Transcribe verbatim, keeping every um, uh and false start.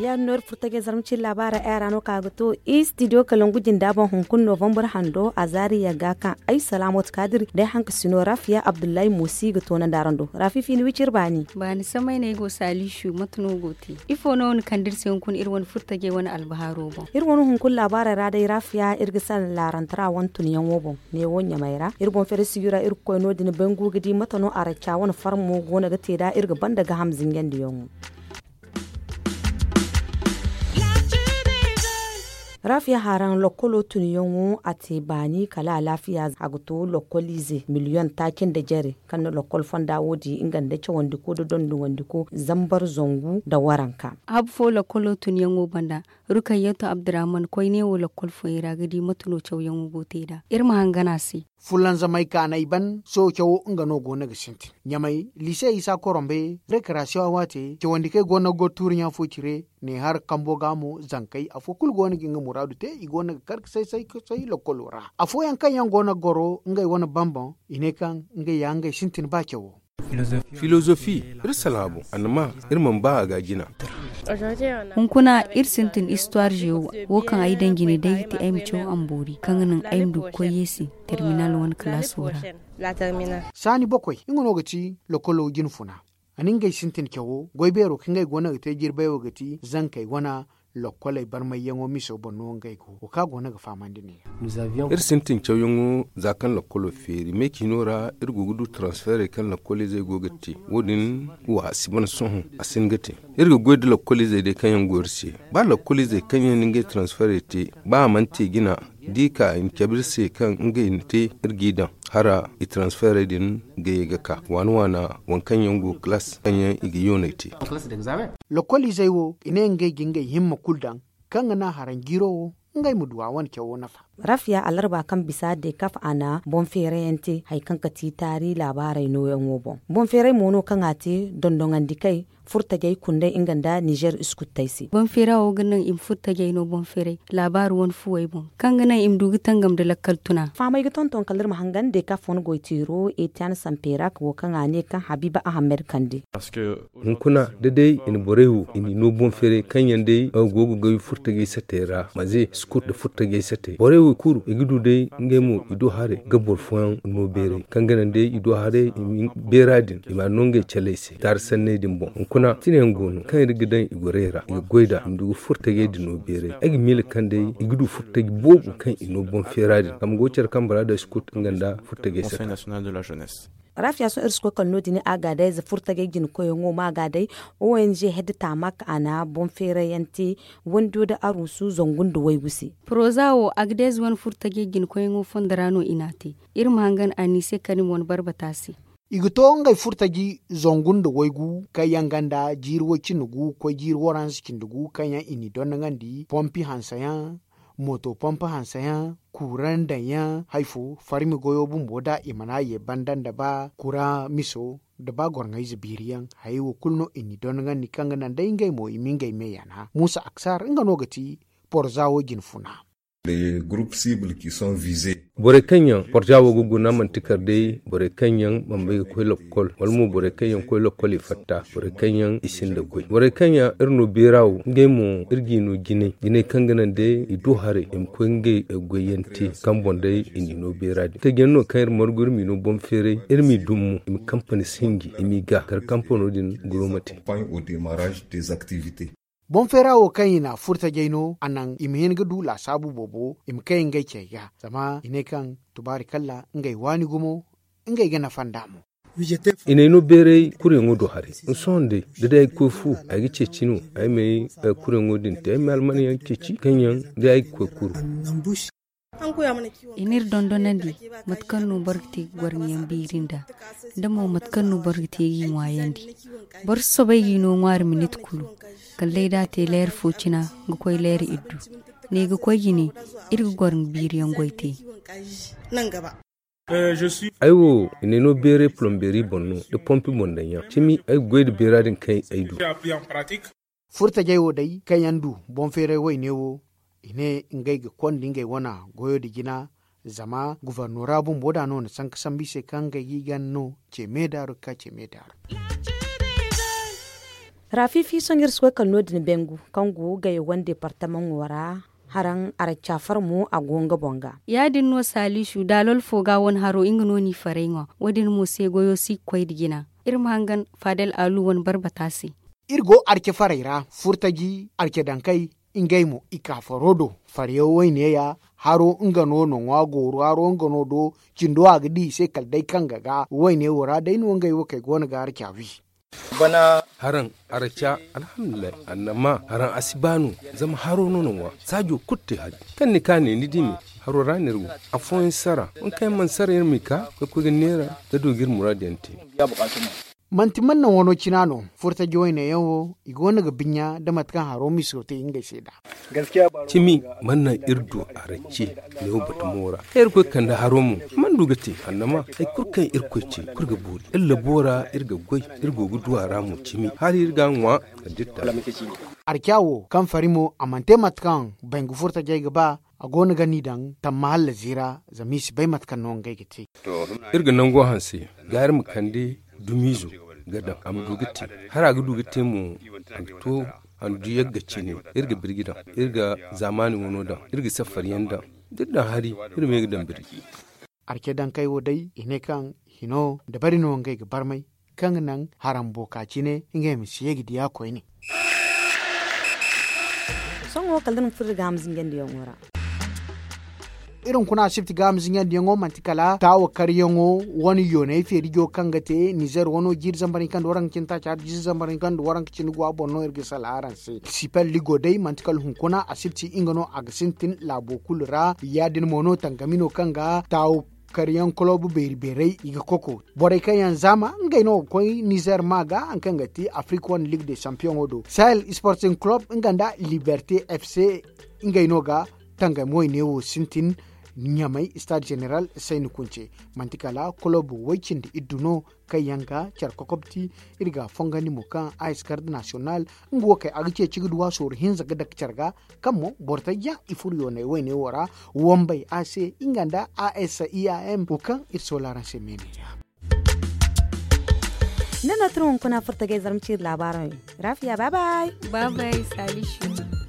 Ya no iri furtajey zarma cine laabaara ay ra no ka ga to i studio kalangu jinda boŋ hunkuna novembre hando a zaari yagga kaŋ ay salaamot kaadiri day hanka sino rafiya abdullahi moosi ga toonandi araŋ do rafi fiini wiciri baani. Baani samay no ay go saaliisu mate no go te? Ifo no ni kande iri se hunkuna iri wane furtajey wane albahaaro boŋ? Iri wane hunkuna laabaarey ra day rafiya iri ga salaŋ laarantara wane tunyaŋo boŋ. Neewo ɲamay ra iri boŋ feere sigi ra iri ga koy no- din bangu ga di mate no araca wane farmo go no ga te nd'a iri ga banda gaaham zinjandiyaŋo. Raafiya haraŋ lokkolo tunyaŋo a te baani kala alaafiya a ga to lokkoliize miliyoŋ taaci nda jare kaŋ na lokkol fonda wo di nga nda cawandiko nda donduŋandiko zambar zangu nda waranka. Habu fo lokkolo tunyaŋo banda, rukayyatu abdurrahman koyne wo lokkol fooyaŋ ra ga di mate no cawyaŋo go te nd'a iri ma hangan a se. Fulanzamay kaanay ban sohõ cawo nga no go no ga sintin ɲamay liise isa korombe rekarasiyoŋ a waate cawandi kaŋ ay go no ga goro tuuri ɲa fo cire ne har kambo ga mo zankey afo kulu go no ga nga muraadu te i go no ga kar ga say say ga say lokkolo ra afooyaŋ kaŋ yaŋ go no ga goro ngey wane bambaŋ i ne kaŋ ngey ya ngey sintin ba cawo. Filozofi iri salaŋ a boŋ annama iri mana ba a ga a jina. Hunkuna iri sintin istuwaar zeewo wo kaŋ ay daŋ jine day ga ti ay ma caw amboori kaŋ ga naŋ ay ma du ga koy yeesi terminal wane kalaaso ra. Saani bokoy nga no ga ti lokolo jinfuna a na ngey sintin cawo goy beero kaŋ ngey go no ga te jirbay wo ga ti zankey wane lokkoley barmayyaŋo miso boŋ no ngey go wo kaŋ a go no ga fahamandi ne. Iri sintin cawyaŋo za kaŋ lakkolo feeri me ciino ra iri go ga du transferey kaŋ lakkoliizey go ga te wo- din wa a si ban sohõ a si hin ga te. Iri ga goy nda lakkoliizey day kaŋ yaŋ go iri se ba lakkoliizey kaŋ yaŋ na ngey transferey te ba a mana te jina da i ka i na cabe iri se kaŋ ngey na te iri g'i daŋ hara i transferey din ga ye ga ka waana waana waŋ kaŋ yaŋ go ga kalaas kaŋ yaŋ i ga yooney te. Lakkoliizey wo i ne ngey ga ngey himma kulu daŋ kaŋ ga naŋ haraŋ jiiro wo ngey ma du a wane cawo nafa. Rafiya alarba kaŋ bisa dekaf a na boŋ feerayante hari kaŋ ga ti taari laabaarey nooyaŋo boŋ boŋ feeray mo no kaŋ a te dondoŋandi kay furtajey kundey nga nda nizer iskuttey se. Boŋ feera wo ga naŋ i ma furtajey no boŋ feeray laabaari wane fuwey boŋ kaŋ ga naŋ i ma du ga tangam nda lakkal tuna. Fahamey ga tonton kala iri ma hangan dekaf wane goyteero etiyan samperak wo kaŋ a ne kaŋ habiiba ahammed kande. Hunkuna da day i na borey wo i n'i no boŋ feeray kaŋ yaŋ day go ga goy furtajey satey ra maze sukut nda furtajey satey borey wo kulu i ga du day ngey mo i do haray ga boro fooyaŋ no beeray kaŋ ga naŋ day i do haray i ma beera din i m'a no ngey caley se taari sanney din boŋ hunkuna tinayaŋ go no kaŋ iri ga daŋ i gorey ra i ga goy nd'a i ma du ga furtajey din no beeray ay ga miila kaŋ day i ga du furtaji boobo kaŋ i no boŋ feera din zama go care kaŋ bora day sukut nga nda furtajey satey. Raafiya sohõ iri si koy kala no- din a ga day za furtajey jina koyyaŋo ma ga day ong hedde taamak a na boŋ feerayante wando nda aruusu zangu nda waygu se. Poroza wo agdez wane furtajey jina koyyaŋo fondo ra no i n'a te. Iri ma hangan a n'i se kala ni ma wane barbata se. I ga to ngey furtaji zangu nda waygu kaŋ yaŋ ganda jiiri way cindi gu koy jiiri waranza cindi gu kaŋ yaŋ i n'i dondoŋandi pompi hanseyaŋ mooto pompe hanseyaŋ kuuraŋ daŋyaŋ hari fo farmi goyo bumbo da i mana ye banda nda ba kura miso nda ba gorŋayze biiriyaŋ hayey wo kulu no i n'i dondoŋandi kaŋ ga naŋ day ngey mo i ma ngey me yana muusa aksar nga no ga ti porza wo jine funa. Borey kaŋ yaŋ porza wo ga guna manti kala day borey kaŋ yaŋ mana bay ga koy lakkol wala mo borey kaŋ yaŋ koy lakkol i fatta borey kaŋ yaŋ i sinda goy borey kaŋ yaŋ iri no beera wo ngey mo iri g'i no jinay jinay kaŋ ga naŋ day i du haray i ma koy ngey goyyaŋ te kaŋ boŋ day i n'i no beera din taji yaŋ no kaŋ iri margu iri m'i no boŋ feeray iri m'i dum mo i ma kampani sinji i m'i ga kala kampano din guro ma te. Boŋ feera wo kaŋ i n'a furtajey no a naŋ i ma hin ga du laasaabu boobo i ma kay ngey cey ga zama i ne kaŋ tubaari kalla ngey waani gumo ngey ga nafa nd'a mo. I n'ay no beeray kuryaŋo do haray sohõ day da day ay ga koy fu ay ga ceeci no ay m'ay kuryaŋo din te ay m'ay almanyaŋ ceeci kaŋ yaŋ day ay ga koy kuru. I n'iri dondonandi mate kaŋ no boro ga te ga gorŋiyaŋ biiri nd'a nda mo mate kaŋ no boro ga te g'i ŋwaayandi. Boro si soobay g'i no ŋwaari minit kulu kala day da a te leera fo cina ga koy leera iddu ne ga koy jine iri ga goro ga biiriyaŋ goy te. Ay wo i n'ay no beeray plombeeri boŋ no nda pompi boŋ daŋyaŋ cimi ay ga goy nda beera din kaŋ ay du. Furtajey wo day kaŋ yaŋ du boŋ feeray wayne wo, i ne ngey ga konda ngey wana goyo nda jina. Zama gufarnora bumbo da no na sanka sambu i se kaŋ ngey ga i gana no ce me daaru ga ka ce me daaru. Raafi fiisoŋ iri si koy kala no- din bengu kaŋ go gayo wane deepartamaŋo ra. Haraŋ aracafar mo a go nga boŋ ga. Ya- din no saalisu daalol fo ga wane haro nga no n'i faray ŋwa. Wo- din mo se goyo si ga koy nda jina. Iri ma hangan faadal aalu wane barbata se. Iri go arce farey ra furtaji arce dankey. Ngey mo i ka faro do faryaŋ wayne ya. Haro nga no na ŋwa gooru haro nga no do. Cindo a ga di i se kala day kaŋ ga ga wayne wo ra day no ngey wo kay go no ga arca wi. Haraŋ arca alhamdulillahi annama haraŋ a si ba no. Zama haro no na ŋwa saajo kulu te hari kaŋ ni ka ne ni di me. Haro ra no iri go afooyaŋ sara. Waŋ kaŋ yaŋ mana sara iri m'i ka ga koy ga neera ga du ga iri muraadu yaŋ te. Manti man naŋ wano cina no furtaji wayne yaŋ wo i go no ga binya nda mate kaŋ haro miso te ngey se nd'a. Cimi mana naŋ iri du aracce neewo batumo ra kaŋ iri koy ga kande haro mo. Mana du ga te annama hari kulu kaŋ iri koy ce kulu ga boori iri labo ra iri ga goy. Iri go ga du a ra mo cimi hala iri ga a ŋwa. Kala da iri ta. Arca wo kaŋ fari mo a mana te mate kaŋ bangu furtajey ga ba. A go no ga ni daŋ tamma hallasi ra zama i si bay mate kaŋ no ngey ga te. Iri ga nango hanse ga iri ma kande dumiizo ga daŋ a ma du ga te. Hari a ga du ga te mo a ga to a ma du yagga cine. Iri ga birji daŋ iri ga zaamaani wano daŋ iri ga safariyaŋ daŋ da iri daŋ hari iri ma ye ga daŋ birji. Arce dankey wo day i ne kaŋ hino dabari no ngey ga barmay kaŋ ga naŋ harambo ka cine ngey ma si ye ga diya koyne. Sohõ kala da ni ma furo iri ga a ma zinjandiyaŋo ra. Iri hunkuna asibti ga a ma zinjandiyaŋo manti kala taawa karyaŋo wane yoonay feerijo kaŋ ga te nizer wano jiiri zambar hinka nda waranka cindi taaci hari jiiri zambar hinka nda waranka cindi go a boŋ no iri ga sala araŋ se sipel ligo day manti kala hunkuna asibti nga no a ga sintin laabo kulu ra. Ya- din mo no tangami no kaŋ ga taawo karyaŋ kolob beeri beerey i ga koko borey kaŋ yaŋ zaama ngey no ga koy nizer ma ga hari kaŋ ga ti afrik wane ligue de champion wo do sahel sporting club nga nda liberte fc. Ngey no ga tangami wayne wo sintin ɲamay stade général sayni kunce manti kala kolob way cindi iddu no kaŋ yaŋ ga care kokobti. Iri ga a fongandi mo kaŋ a si garde national nga wo kay a ga ceeci ga duwa sooru hinza ga dake care ga kaŋ mo boro tajja i furo yoonay wayne wo ra. Wambay a se nga nda a s i a m wo kaŋ iri soola araŋ se meene. Ni no tun hunkuna furtagay zarma ciiri laabaarey. Rafiya baabay. Baabay salisu.